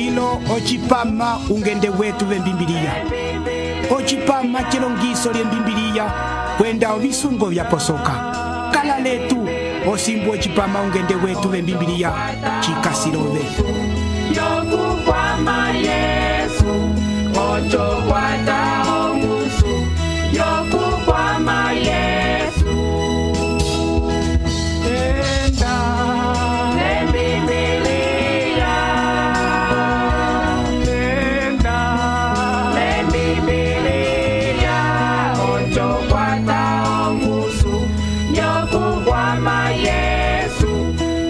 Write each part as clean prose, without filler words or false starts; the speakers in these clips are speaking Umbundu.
lilo ocipama ungende wetu vembimbiliya, ocipama cilongiso lyembimbiliya kwenda ovisungo vyaposoka. Kala letu osimbu ocipama ungende wetu vembimbiliya cikasilove. Yokukwama Yesu, ocho kwata omusu. Yokukwama Yesu, enda lembibiliya, enda lembibiliya, ocho kwata omusu. Yokukwama Yesu,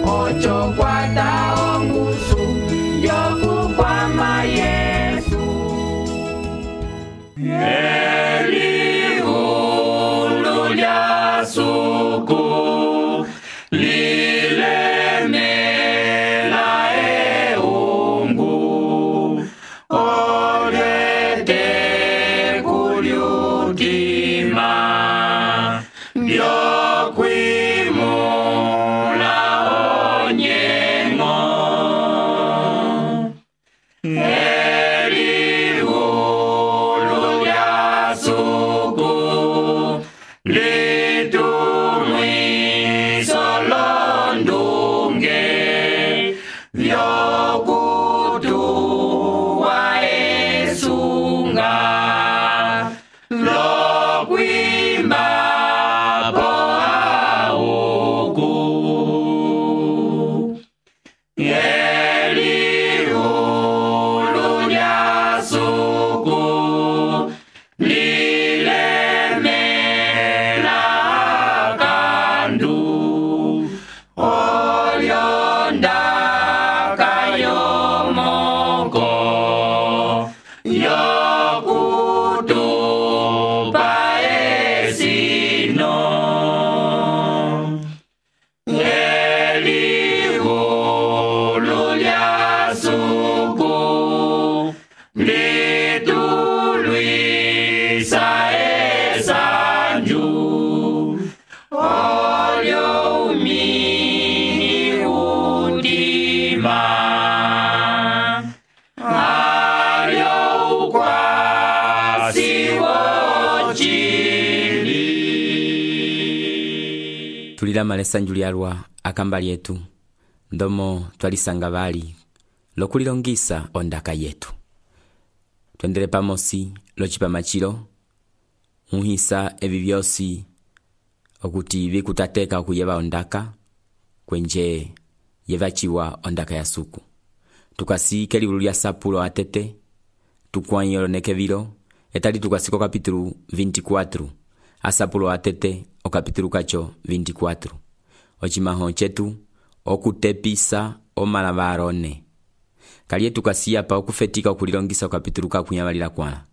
ocho kwata omusu. Yokukwama Yesu. Elihulu lya suku lilemela eungu olete kulyutima byokwimula onyengo. Elihulu lya suku litumwiso londunge vyokutuwa esunga lokwimba po auku. Elihulu lya suku lilemela kandu olyonda kayomoko yokutupa esino. Elihulu lya suku litulwisa esanju olyo umini utima alyo ukwasi wocili. Tulilama lesanju lyalwa akamba lyetu ndomo twalisanga bali lokulilongisa ondaka yetu. Twendele pamosi locipama cilo muhisa evi byosi okuti bikutateka okuyeba ondaka kwenje yevaciwa ondaka ya suku. Tukasike libulu lya sapulo atete tukwanyolo nekevilo etali tukasiko kapitulu 24 asapulo atete o kapitulu kacho 24 ocimaho chetu okutepisa omalava arone. Kaliye tukasiya pa okufetika okulilongisa okapitulu kakunyabalila kwala.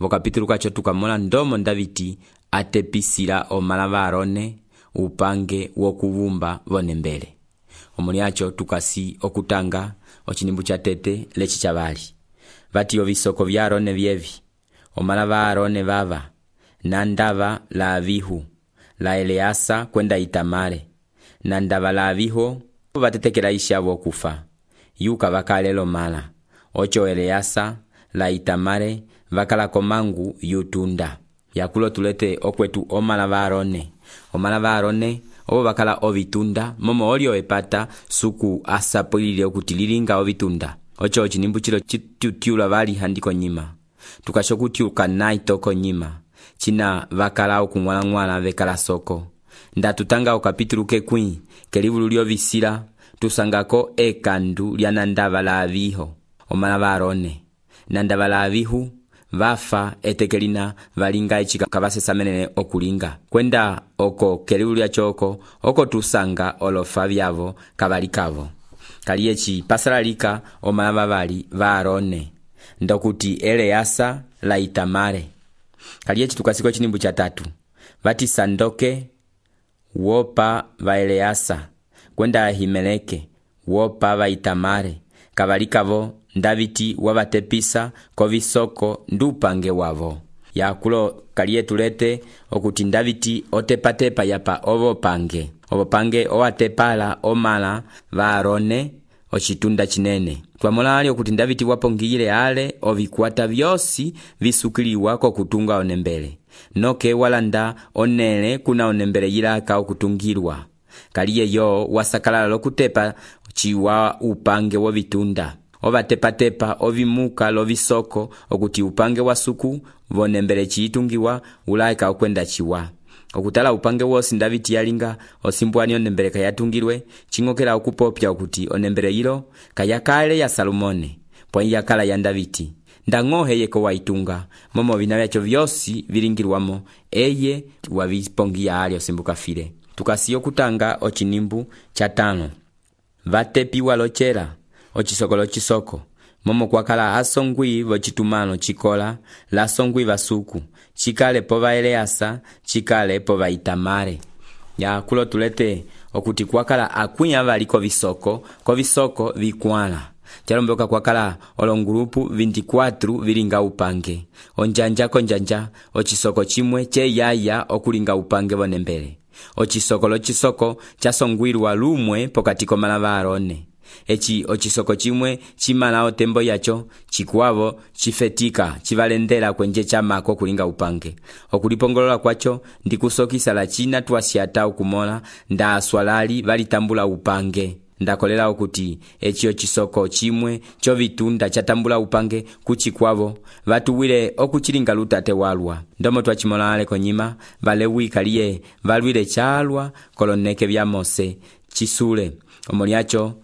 Vokapitulu kacho tukamola ndomo Davidi atepisila omalava arone upange wokuvumba vonembele. Omuliacho tukasi okutanga ochinimbu cha tete lechi chabali. Vati ovisoko vya arone vyevi. Omalava arone vava. Nandava la avihu. La Eleasa kwenda Itamare. Nandava la aviho vatetekela ishavo kufa. Yuka vakalelo mala. Ocho Eleasa la Itamare vakala komangu yutunda. Yakulo tulete okwetu omalava arone. Omalava arone obo vakala ovitunda momo olio epata suku asapulile okutililinga ovitunda. Ocho ochinimbu chilo chitutiula vali handiko nyima. Tukashokutiuka naitoko nyima. China vakala okungwala vekala soko. Ndatutanga okapitulu kekwi kelivulu lyo visila tusangako ekandu lya nandava la aviho. Omalava arone. Nandava la avihu vafa etekelina valinga echika kavasesamenene okulinga. Kwenda oko kelivulu lya choko oko tusanga olofa vyavo kavalikavo. Kaliechi pasalalika omalava vali va arone. Ndokuti Eleasa la Itamare. Kaliechi tukasiko chinimbu cha tatu. Vati Sandoke wopa va Eleasa. Kwenda Ahimeleke wopa va Itamare. Kavalikavo Davidi wavatepisa kovisoko ndupange wavo. Yakulo kalie tulete okuti Davidi otepatepa yapa ovo pange. Ovo pange oatepala omala va Arone ocitunda cinene. Twamola ali okuti Davidi wapongiyile ale ovikwata vyosi visukiliwa kokutunga onembele, noke walanda onele kuna onembele yilaka okutungilwa. Kaliye yo wasakalala lokutepa ciwa upange wovitunda, ovatepa-tepa ovimuka lovisoko okuti upange wasuku vonembele ciitungiwa ulaika okwenda ciwa. Okutala upange wosi Davidi yalinga osimbwani onembele kayatungilwe, chingokela okupopya okuti onembele yilo kayakale ya Salomone, pwa yakala ya Davidi. Ndang'ohe yeko waitunga, momo vina vyacho vyosi vilingilwamo, eye wavipongiya ali osimbuka file. Tukasiyo kutanga ochinimbu cha 5. Vatepiwa lochela, ochisoko lochisoko, momo kwakala asongwi vochitumano chikola, lasongwi vasuku, chikale pova Eleasa, chikale pova Itamare. Ya kulo tulete okuti kwakala akwinya vali kovisoko vikwala. Chalomboka kwakala olongrupu 24 vilinga upange. Onjanja konjanja, ochisoko chimwe che yaya okulinga upange vonembele. Ochisoko lochisoko chasongwilwa lumwe pokati komalava Arone. Echi ochisoko chimwe chimala otembo yacho, chikuavo chifetika chivalendela kwenje chamako kulinga upange. Okulipongolola kwacho ndikusokisa la china tuwasiata ukumola nda aswalali valitambula upange. Ndakolela okuti echi ochisoko chimwe chovitunda chatambula upange kuchikwavo vatuwile okuchilinga lutate walwa. Ndomo twachimola ale konyima Valewi kaliye valwile chalwa koloneke vya Mose chisule omoliacho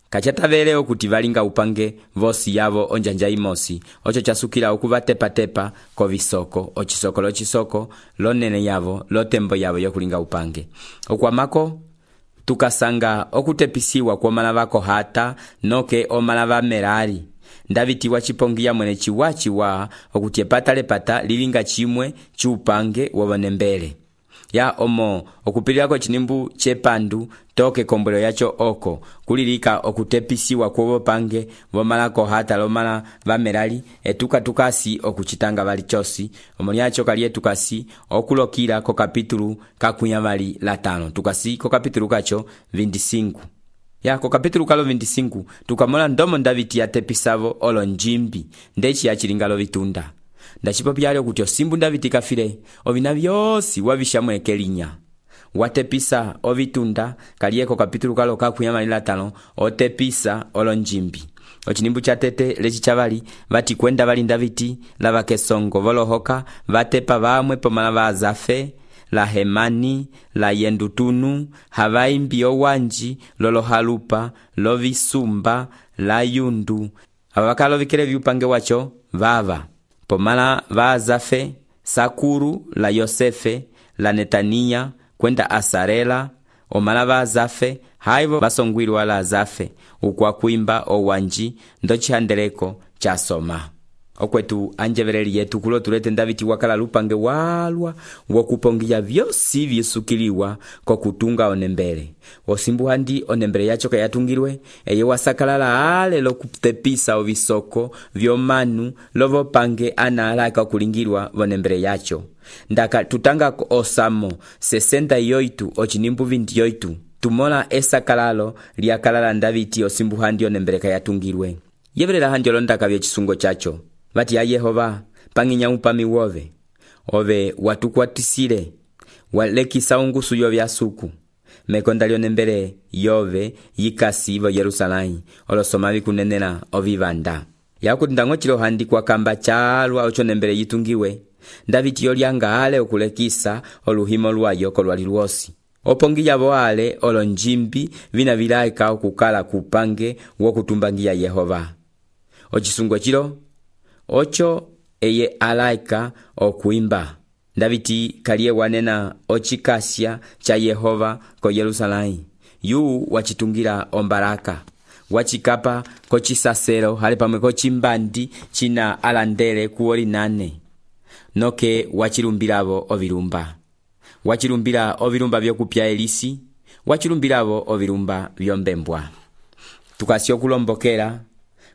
kachatavele okuti valinga upange vosi yavo onjanja imosi. Ocho chasukila okuvatepa-tepa kovisoko, ochisoko lochisoko lonene yavo lotembo yavo yokulinga upange. Okwamako tukasanga okutepisiwa kwa malava Kohata noke omalava Merari. Davidi wachipongiya mwene chiwa okuti epata lilinga chimwe chupange wovonembele. Ya omo okupililako chinimbu chepandu toke kombwelo yacho oko kulilika okutepisiwa kwovopange vomala Kohata lomala vamerali tukasi okuchitanga vali chosi. Omoliacho kaliye tukasi okulokila ko kapitulu kakunya vali la 5. Tukasi ko kapitulu kacho 25. Ya ko kapitulu kalo 25 tukamola ndomo Davidi yatepisavo olonjimbi ndechi yachilingalo vitunda. Ndachipopyale okuti osimbu Davidi kafile ovina vyosi wavishamweke linya. Watepisa ovitunda kaliyeko kapitulu kalo kakunya vali la 5 otepisa olonjimbi. Ochinimbu cha tete lechi chavali vati kwenda vali Davidi lava kesongo volohoka vatepa vamwe pomala va Azafe, la Hemani, la Yendutunu, havaimbi owanji, lolohalupa, lovisumba, la Yundu. Avakalo vikele viupange wacho vava pomala va Azafe, Sakuru, la Yosefe, la Netania, kwenda Asarela, omala va Azafe, haivo vasongwilwa la Azafe, ukwa kuimba owanji, ndo chihandeleko chasoma. Okwetu anjevereli yetu kulo tulete Davidi wakala lupange walwa wokupongiya vyosi visukiliwa kokutunga onembele. Osimbu handi onembele yacho kayatungilwe, eye wasakalala ale lokutepisa ovisoko vyomanu lovopange analaka okulingilwa vonembele yacho. Ndaka tutanga osamo 68 ochinimbu 28 tumola esakalalo liakalala Davidi osimbu handi onembele kayatungilwe. Yeverela hanjolo ndaka vye chisungo chacho. Vati ya Yehova panginya upami wove ove watukwatisile walekisa ungusu yovya suku mekondalio nembele yove yikasi vo Yerusalai olosoma vikunenela ovivanda. Yakuti ndangochilo handi kwa kamba chalwa ocho nembele yitungiwe Davidi yolyanga ale okulekisa oluhimo lwayo kolwali lwosi. Opongiya voale olonjimbi vina vilaika okukala kupange wokutumbangiya Yehova. Ochisungo chilo ocho eye alaika okuimba. Davidi kaliye wanena ochikasya cha Yehova ko Yerusalai. Yu wachitungira ombaraka. Wachikapa kochisaselo hali pamwe kochimbandi china alandele kuoli 8. Noke wachilumbiravo ovilumba. Wachilumbira ovilumba vyokupya Elisi. Wachilumbiravo ovilumba vyombembwa. Tukasyo kulombokela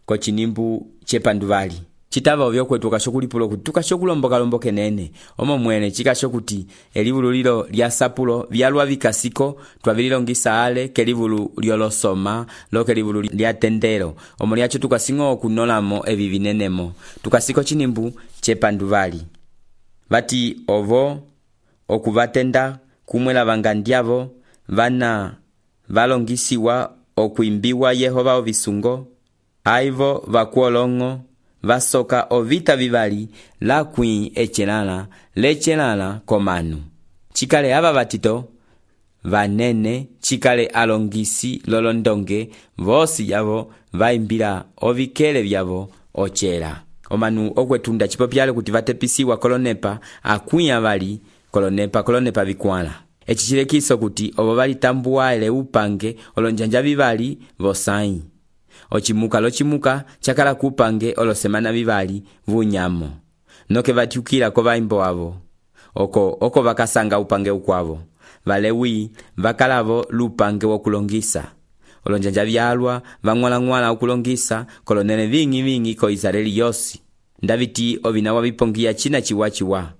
kochinimbu chepanduvali citava ovyo tukasho kulipulo kuti tukasho kulomboka nene omo mwene cikasho kuti elivulu lilo lya sapulo vyalwa vikasiko twavililongisa ale kelivulu lyolosoma lo kelivulu lya tendero omo lyacho tukasinga okunolamo evi vinenemo tukasiko cinimbu cepanduvali vati ovo okuvatenda kumwe lavanga ndyavo vana valongisiwa okuimbiwa Yehova ovisungo aivo vakuolongo vasoka ovita vivali lakwi lecelala komanu cikale ava vatito vanene cikale alongisi lolondonge vosi yavo vaimbila ovikele vyavo ocela omanu okwetunda cipopyale kuti vatepisiwa kolonepa akwi avali kolonepa vikwala eci cilekiso kuti ovo valitambuwaele upange olonjanja vivali vosai ocimuka cakala kupange olosemana vivali vunyamo noke vatiukila ko vaimbo avo oko vakasanga upange ukwavo Valewi vakalavo lupange wokulongisa olonjanja vyalwa vang'wala okulongisa kolonene vingi ko Israeli yosi ndaviti ovina wavipongia cina ciwa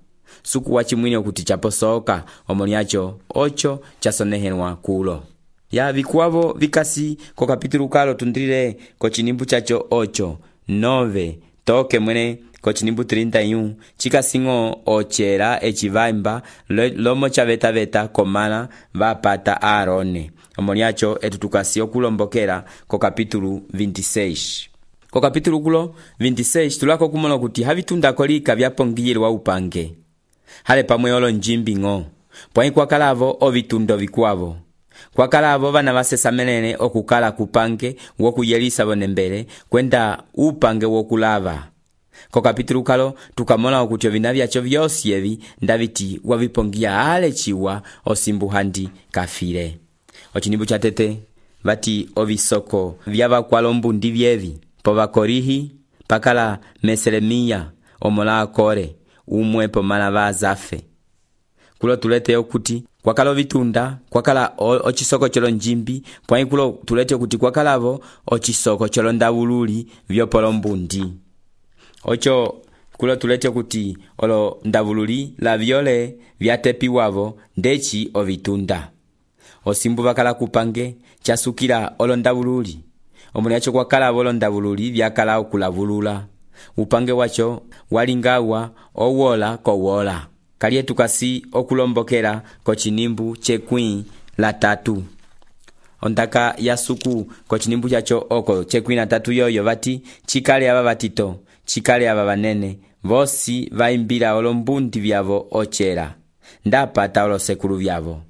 suku wacimwini okuti chaposoka omoniacho ocho chasonehenwa kulo ya vikuavo vikasi ko kapitulu kalo tundrile ko cinimbu chacho 8 toke mwene ko cinimbu 31 cikasingo ocela ecivaimba lomo chaveta komala vapata Aarone omoniacho etu tukasi okulombokela ko kapitulu 26 ko kapitulu kulo 26 tulako kumona kuti havitundako lika vyapongiyelwa upange hale pamwe olonjimbingo pwai kwakalavo ovitundo vikwavo kwakalavo vana vasesamenene okukala kupange wokuyelisa vonembele kwenda upange wokulava ko kapitulu kalo tukamona okuti ovina vyacho vyosi evi ndaviti wavipongia ale ciwa osimbuhandi kafile ocinimbu catete vati ovisoko vyavakwalombundi vyevi povakorihi pakala Meselemiya omola Akore umwe pomala vazafe kulo tulete okuti kwakala ovitunda kwakala ocisoko colonjimbi pwai kulo tulete okuti kwakalavo ocisoko colondavululi vyopolombundi ocho kulo tulete okuti olo ndavululi la vyole vyatepiwavo ndeci ovitunda osimbu vakala kupange casukila olondavululi omulyacho kwakalavo olondavululi vyakala okulavulula upange wacho walingawa owola kowola kalye tukasi okulombokela ko cinimbu cekwi la 3 ondaka ya suku ko cinimbu chacho oko cekwi la 3 yoyo vati cikale ava vatito cikale ava vanene vosi vaimbila olombundi vyavo ocela ndapata olosekulu vyavo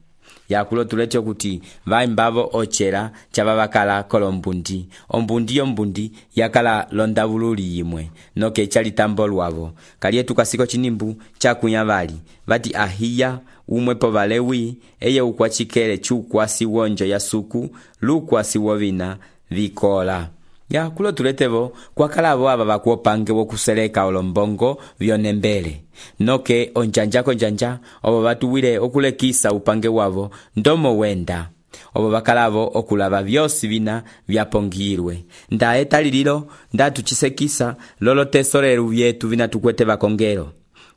yakulo tulete kuti vaimbavo ocela cava vakala kolombundi ombundi yakala londavululi yimwe noke calitambo lwavo kalye tukasiko cinimbu cakunya vali vati Ahiya umwe po Valewi eye ukwacikele cukwasi wonjo ya suku lukwasi wovina vikola ya kulo tuletevo kwakalavo ava vakuopange wokuseleka olombongo vyonembele noke onjanja ovo vatuwile okulekisa upange wavo ndomo wenda ovo vakalavo okulava vyosi vina vyapongirwe ndae talililo ndatucisekisa lolo tesoleru vyetu vina tukwete vakongelo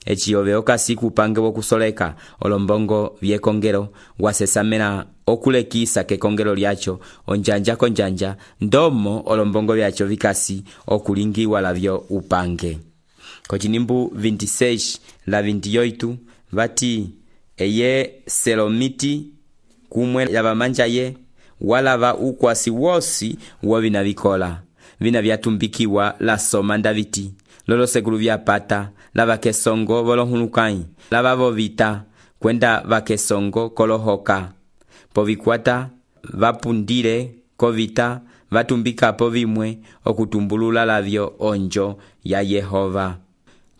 eci ove okasi kupange wokusoleka olombongo vyekongelo wasesamela okulekisa kekongelo lyacho onjanja ndomo olombongo vyacho vikasi okulingiwa lavyo upange ko cinimbu 26 la 28 vati eye Selomiti kumwe yavamanja ye walava ukwasi wosi wovina vikola vina vyatumbikiwa la soma ndaviti lolo sekulu vyapata lava kesongo volohulukai lava vovita kwenda vakesongo kolohoka povikwata vapundile kovita vatumbikapo vimwe okutumbulula lavyo onjo ya Yehova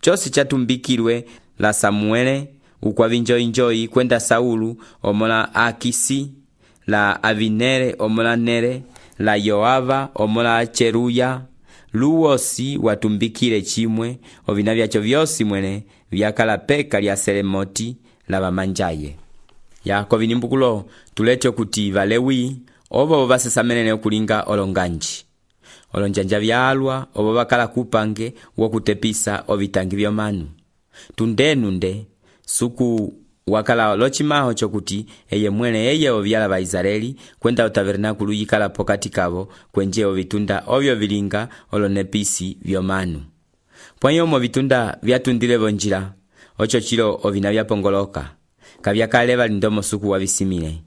cosi catumbikilwe la Samuele ukwavinjoinjoi kwenda Saulu omola Akisi la Avinere omola Nere la Yoava omola Cheruya luwosi watumbikile chimwe ovina vyacho vyosi mwene vyakala peka lya Selemoti la vamanjaye yako vinimbukulo tulete kuti Valewi ovo vasesamenene okulinga olonganji olonjanja vyalwa obo bakala kupange wokutepisa ovitangi vyomanu. Tundenunde suku wakala lochimaho chokuti eye mwene eye ovyala ba Israeli kwenda otabernakulu yikala pokati kabo kwenje ovitunda ovyo vilinga olonepisi vyomanu. Pwanyo mo vitunda vyatundile bonjila ocho chilo ovina vyapongoloka kavyakale balindomo suku wavisimile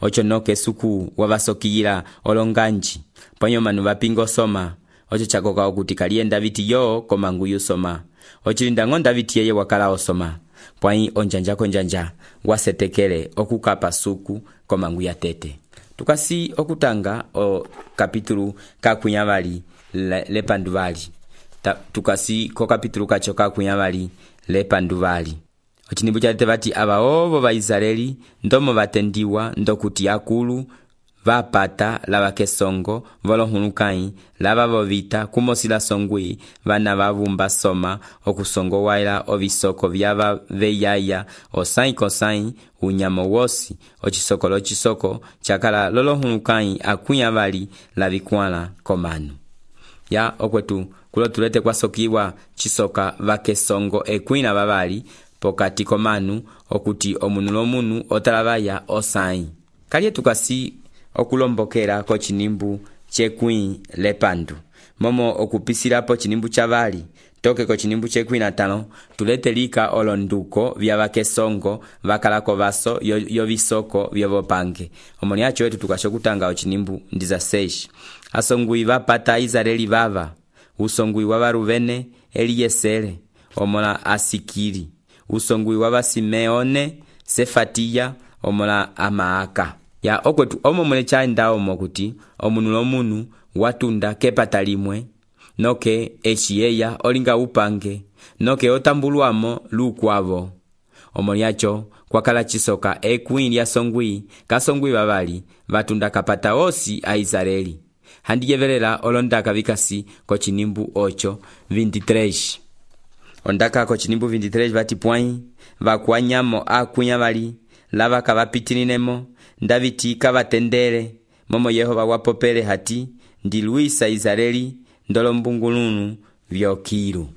ocho noke suku wabasokiyila olonganji pwanyo manu bapingo soma ocho chakoka okuti kalienda viti yo komanguyu soma ochilinda ngonda viti yeye wakala osoma pwanyi onjanja konjanja wasetekele okukapa suku komanguya tete. Tukasi okutanga o kapitulu kakunyabali lepanduvali. Tukasi ko kapitulu kacho kakunyabali lepanduvali. Ochinimbu cha tebati aba ovo ba Israeli ndomo batendiwa ndokuti akulu vapata lava kesongo volohulukai lava vovita kumosila songwi vana vavumba soma okusongo waila ovisoko vyava veyaya osai kosai unyamo wosi ochisoko chakala lolohulukai akunya vali lavikwala komanu. Ya okwetu kulo tulete kwa sokiwa chisoka vakesongo ekwina vavali pokati komanu okuti omunu lomunu otalavaya osai. Kalye tukasi okulombokera ko chinimbu chekwi lepandu momo okupisilapo chinimbu chavali toke ko chinimbu chekwi natano tulete lika olonduko vya vakesongo vakalako vaso yo visoko vyobopange omoni acho wetu tukashokutanga ochinimbu ndiza seshi asongui vapata Israeli vava usongui wa Ruvene Eliesele omola Asikiri usongui wa Simeone Sefatiya omola Amaaka. Ya okwetu omo mwene chaenda omo kuti omunu lomunu watunda kepata limwe noke echiyeya olinga upange noke otambulwamo lukwavo omoni acho kwakala chisoka ekwini ya songwi kasongwi babali batunda kapata osi a Israeli handiyevelela olondaka vikasi ko chinimbu ocho 23 ondaka ko chinimbu 23 vati pwai vakwanyamo akunyabali lava kavapitinemo ndaviti kavatendele momo Yehova wapopele hati ndiluisa Israeli ndolombungulunu vyokiru.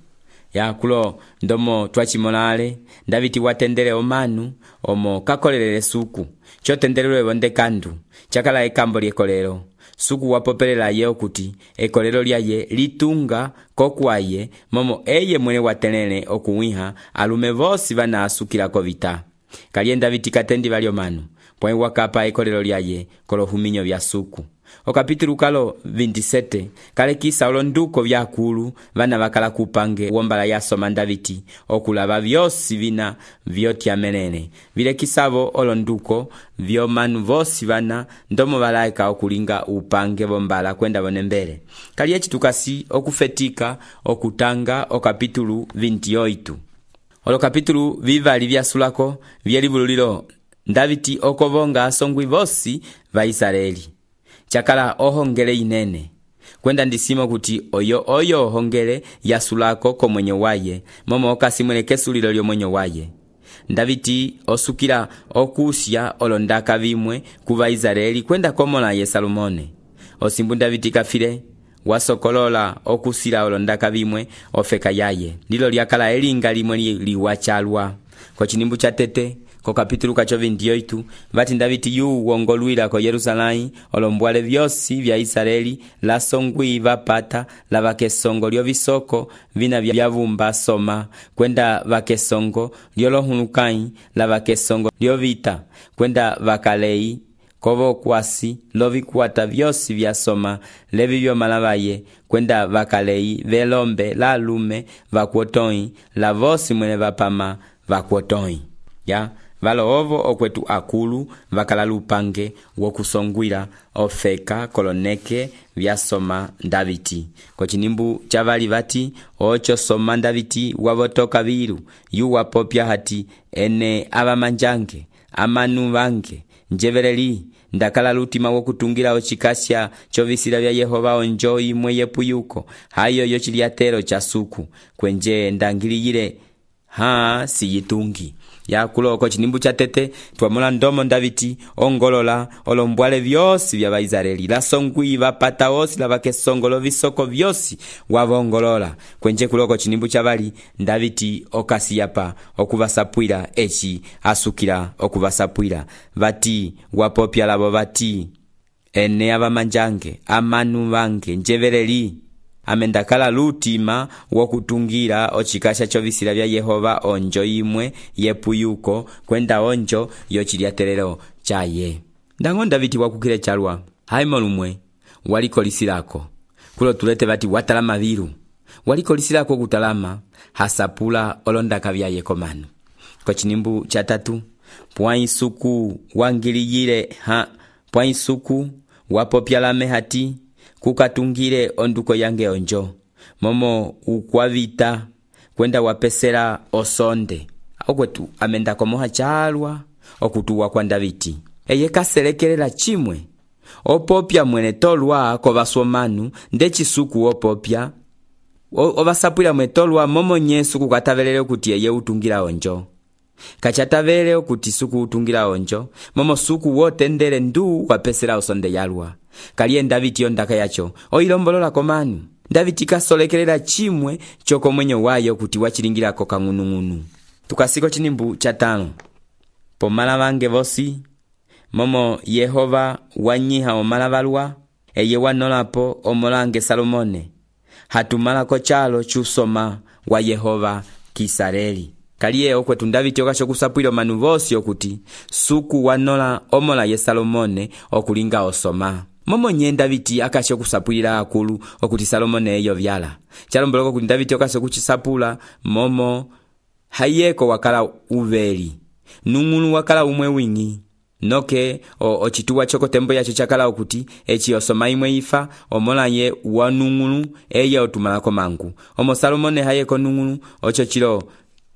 Ya kulo ndomo twachimolale ndaviti watendele omanu omo kakolelele suku chotendelelwe bonde kandu chakala ekambo lyekolelo suku wapopelela ye okuti ekolelo lyaye litunga kokwaye momo eye mwene watelele okuwiha alume vosi vana asukila kovita kalienda viti katendi valyo manu pwe wakapa ekolelo lyaye kolohuminyo vya suku. O kapitulu kalo 27 kale kisa olonduko vyakulu vana vakala kupange wombala ya soma Daviti okulava vyosi vina vyotya menene vile kisavo olonduko vyo manu vosi vana ndomo valaika okulinga upange wombala kwenda bonembele kali echi tukasi okufetika okutanga o kapitulu 28 olo kapitulu vivali vya sulako vyelivululilo Daviti okovonga asongwi vosi va Israeli chakala ohongele inene kwenda ndisimo kuti oyo hongele yasulako ko mwenye waye momo okasimwele kesulilo lyo mwenye waye Daviti osukila okusya olondaka vimwe kuva Israeli kwenda komola ye Salomone osimbu Daviti kafile wasokolola okusila olondaka vimwe ofeka yaye ndilo lyakala elinga limwe liwachalwa ko chinimbu cha tete ko kapitulu kacho 28 vati Daviti yu wongolwila ko Yerusalai olombwale vyosi vya Israeli la songwi vapata la vakesongo lyo visoko vina vyavumba soma kwenda vakesongo lyo lohulukai la vakesongo lyo vita kwenda vakalei kovo kwasi lovikwata vyosi vya soma levi vyo malavaye kwenda vakalei velombe la lume vakwotoi la vosi mwene vapama vakwotoi. Ya valo ovo okwetu akulu vakala lupange wokusongwila ofeka koloneke vyasoma Daviti ko chinimbu chavali vati ocho soma Daviti wavotoka viru yu wapopya hati ene avamanjange amanu vange njevereli ndakala lutima wokutungira ochikasya chovisila vya Yehova onjoi mweyepu yuko hayo yochiliatero cha suku kwenje ndangiliyile siyitungi yakuloko chinimbu cha tete twamula ndomo Davidi ongolola olombwale vyosi vya Vaisraeli lasongwi vapata osi lavakesongolo visoko vyosi wavongolola kwenje kuloko chinimbu cha vali Davidi okasiyapa okuvasapwila echi asukila okuvasapwila vati wapopya lavo vati ene avamanjange amanu vange njeveleli amendakala lutima wokutungira ochikasha chovisila vya Yehova onjo imwe yepuyuko kwenda onjo yochiliatelelo chaye ndango Davidi wakukile chalwa haimo lumwe walikolisilako kulo tulete vati watalama vilu walikolisilako kutalama hasapula olondaka vya yekomanu kwa chinimbu cha tatu pwaisuku wangiliyile pwaisuku wapopyalame hati kukatungile onduko yange onjo momo ukwavita kwenda wapesela osonde okwetu amenda komoha chalwa okutuwa kwa Davidi eye kaselekelela chimwe opopya mwene tolwa kovasomanu ndechisuku opopya ovasapwila mwe tolwa momo nyesu kukatavelele okuti eye utungira onjo kachatavele okuti suku utungira onjo momo suku wotendele ndu wapesela osonde yalwa kaliye Davidi ondaka yacho oilombolola komanu Davidi kasolekelela chimwe choko mwenyo wayo kuti wachilingilako kang'unung'unu tukasiko chinimbu cha 5 pomala vange vosi momo Yehova wanyiha omalavalwa eye wanolapo omolange Salomone hatumalako chalo chusoma wa Yehova kisareli kaliye okwetu Davidi okasho kusapwila manu vosi okuti suku wanola omola ye Salomone okulinga osoma momo nye Davidi akasho kusapwila akulu okuti Salomone eyo vyala chalomboloko kuti Davidi okasho kuchisapula momo hayeko wakala uveli nung'unu wakala umwe wingi noke ochituwa choko tembo yacho chakala okuti echi osoma imwe ifa omola ye wanung'unu eye otumalako mangu omo Salomone hayeko nung'unu ocho chilo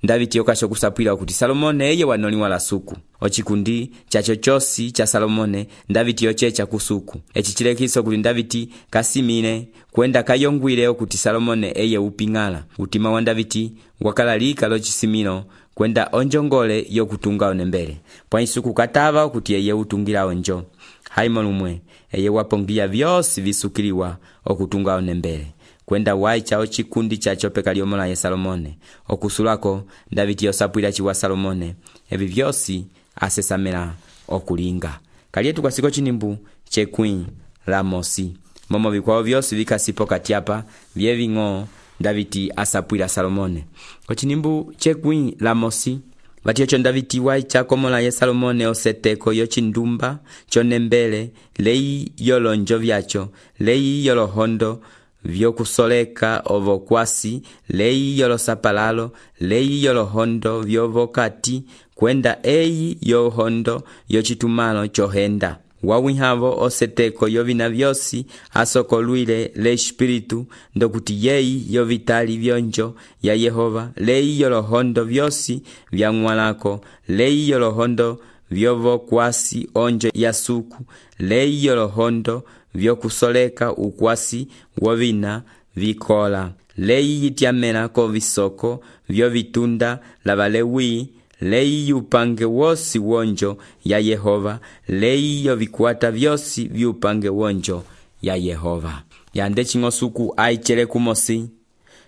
Davidi okasho kusapwila okuti Salomone eye wanoliwa la suku ochikundi chacho chosi cha Salomone Davidi ochecha kusuku echichilekiso kuti Davidi kasimile kwenda kayongwile okuti Salomone eye upingala utima wa Davidi wakala lika lochisimilo kwenda onjongole yokutunga onembele pwaisuku katava okuti eye utungira onjo haimo lumwe eye wapongia vyosi visukiliwa okutunga onembele kwenda waicha ochikundi chacho pekaliomola ye Salomone okusulako Davidi osapwila chiwa Salomone evi vyosi asesamela okulinga kalietu kwa siko chinimbu chekwi la mosi momo vikwao vyosi vikasipo katiapa vyeving'o Davidi asapwila Salomone ochinimbu chekwi la mosi vatiocho Davidi waicha komola ye Salomone oseteko yochindumba chonembele lei yolonjo vyacho lei yolohondo vyokusoleka ovokwasi lei yolosapalalo lei yolohondo vyovokati kwenda eyi yohondo yochitumalo chohenda wawihavo oseteko yovina vyosi asokolwile le espiritu ndokuti yeyi yovitali vyonjo ya Yehova lei yolohondo vyosi vyang'walako lei yolohondo vyovokwasi onjo ya suku lei yolohondo vyokusoleka ukwasi wovina vikola lei yityamela ko visoko vyovitunda lavalewi lei yupange wosi wonjo ya Yehova lei yovikwata vyosi vyupange wonjo ya Yehova yande ching'osuku aichele kumosi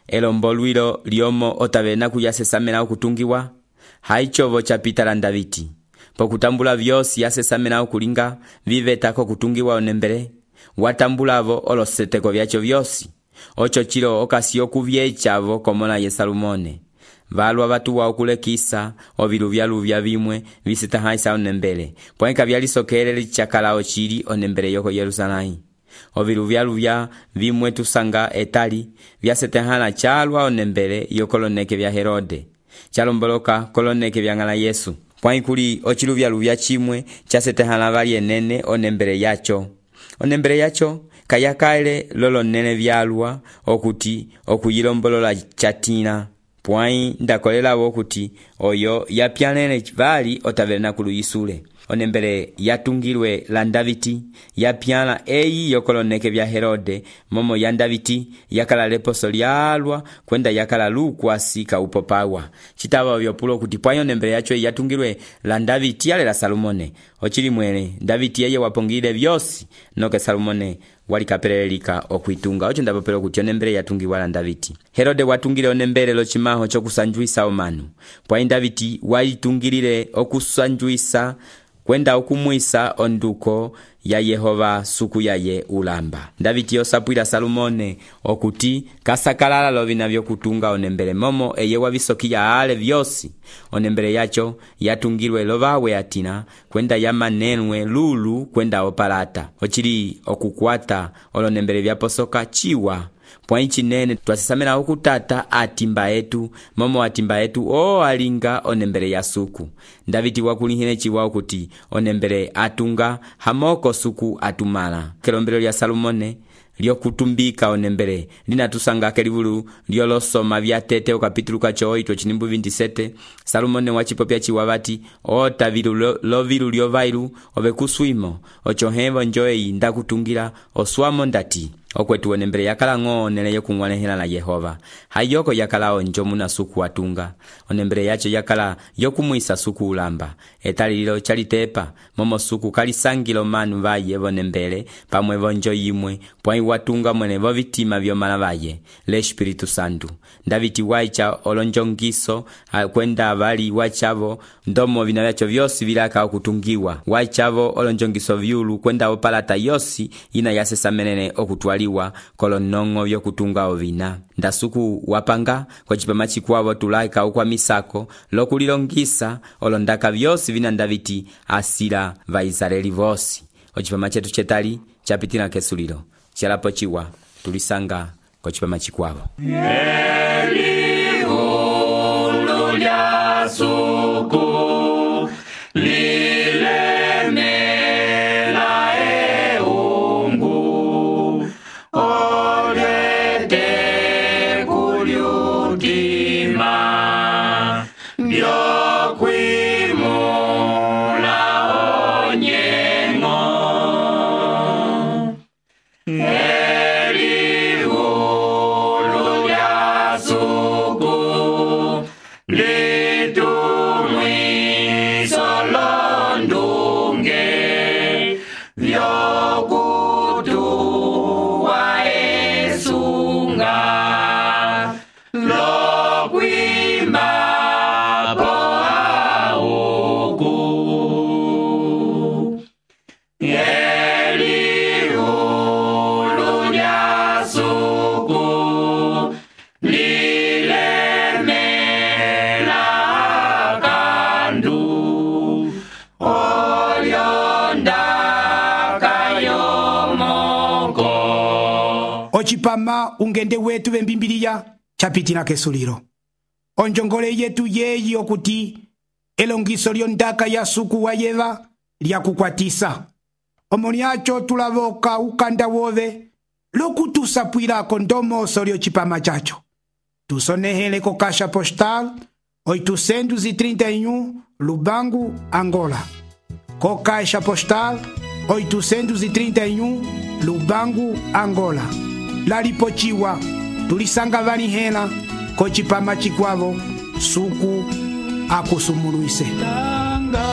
elombolwilo liomo otavena kuyasesamela okutungiwa haichovo chapita la Davidi pokutambula vyosi yasesamela okulinga vivetako kutungiwa onembele watambulavo oloseteko vyacho vyosi ocho chilo okasi okuvyechavo komola ye Salomone valwa vatuwa okulekisa oviluvya vimwe visitahaisa onembele pwenka vyalisokelele chakala ochili onembele yoko Yerusalai oviluvya vimwe tusanga etali vyasetehala chalwa onembele yokoloneke vya Herode chalomboloka koloneke vya ng'ala Yesu pwaikuli ochiluvya chimwe chasetehala vali enene onembele yacho onembele yacho kayakaele lolo nene vyalwa okuti okuyilombolola chatina pwãyi ndakolelawo kuti oyo yapyalele vali otaverenakulu yisule. Onembele yatungilwe la Ndaviti yapyala eyi yokoloneke vya Herode, momo ya Ndaviti yakala leposo lyalwa kwenda yakala lukwasi kaupopawa. Chitava vyopulo kuti pwãyi onembele yacho yatungilwe la Ndaviti yale la Salomone. Ochili mwene Ndaviti yeye wapongile vyosi noke Salomone walikapelelika okwitunga. Ocho ndapopelo kuti onembele yatungiwa la Ndaviti. Herode watungile onembele lochimaho chokusanjuisa omanu. Pwãyi Ndaviti walitungilile okusanjuisa kwenda okumwisa onduko ya Yehova suku yaye ulamba. Ndaviti yosapwila Salomone okuti kasakalala lovina vyokutunga onembele momo eye wavisokiya ale vyosi. Onembele yacho yatungilwe lovawe atina kwenda yamanenwe lulu kwenda opalata. Ochili okukwata olonembele vyaposoka chiwa. Pwãyi chinene twasisamela okutata atimba etu momo atimba etu alinga onembele ya suku. Ndaviti wakulihine chiwa okuti onembele atunga hamoko suku atumala. Kelombelo lya Salomone lyokutumbika onembele linatusanga kelivulu lyolosoma vya tete okapitulu kacho 8 chinimbu 27. Salomone wachipopya chiwa vati otavilu lovilu lyovailu ovekuswimo ochohevo njoei ndakutungira oswamo ndati. Okwetu onembele yakala ng'onele yokung'wanehela la Yehova. Hayoko yakala onjo muna suku atunga. Onembele yacho yakala yokumwisa suku ulamba. Etalilo chalitepa momo suku kalisangilo manu vaye vonembele pamwe vonjo yimwe. Pwãyi watunga mwene vovitima vyomala vaye le Espiritu Santu. Ndaviti waicha olonjongiso kwenda vali wachavo ndomo vina vyacho vyosi vilaka okutungiwa. Waichavo olonjongiso vyulu kwenda opalata yosi ina yasesamenene okutwaliwa kolonongo vyokutunga ovina. Ndasuku wapanga kwa chipama chikwavo tulaika ukwa misako lokulilongisa olondaka vyosi vina Ndaviti asila va Israeli vosi. Ochipama chetu chetali chapitina kesulilo chalapo chiwa tulisanga kwa chipama chikwavo. Eliulu lya suku lilemela eungu olete kulyutima vyokwimula onyengo. Eliulu lya suku litumwiso londunge vyokutuwa esunga lokwimba po auku. Eliulu lya suku lilemela kandu olyondaka yomoko. Ochipama ungende wetu vembimbiliya chapitina kesulilo. Onjongole yetu yeyi okuti elongiso lyondaka ya suku wa Yeva lyakukwatisa. Omo lyacho tulavoka ukanda wove lokutusapwilako ndomoso lyochipama chacho. Tusonehele ko Caixa Postal 831 Lubangu, Angola. Ko Caixa Postal 831 Lubangu, Angola. Lalipochiwa tulisanga vanihela ko chipama chikwavo suku akusumuluise. Tanga,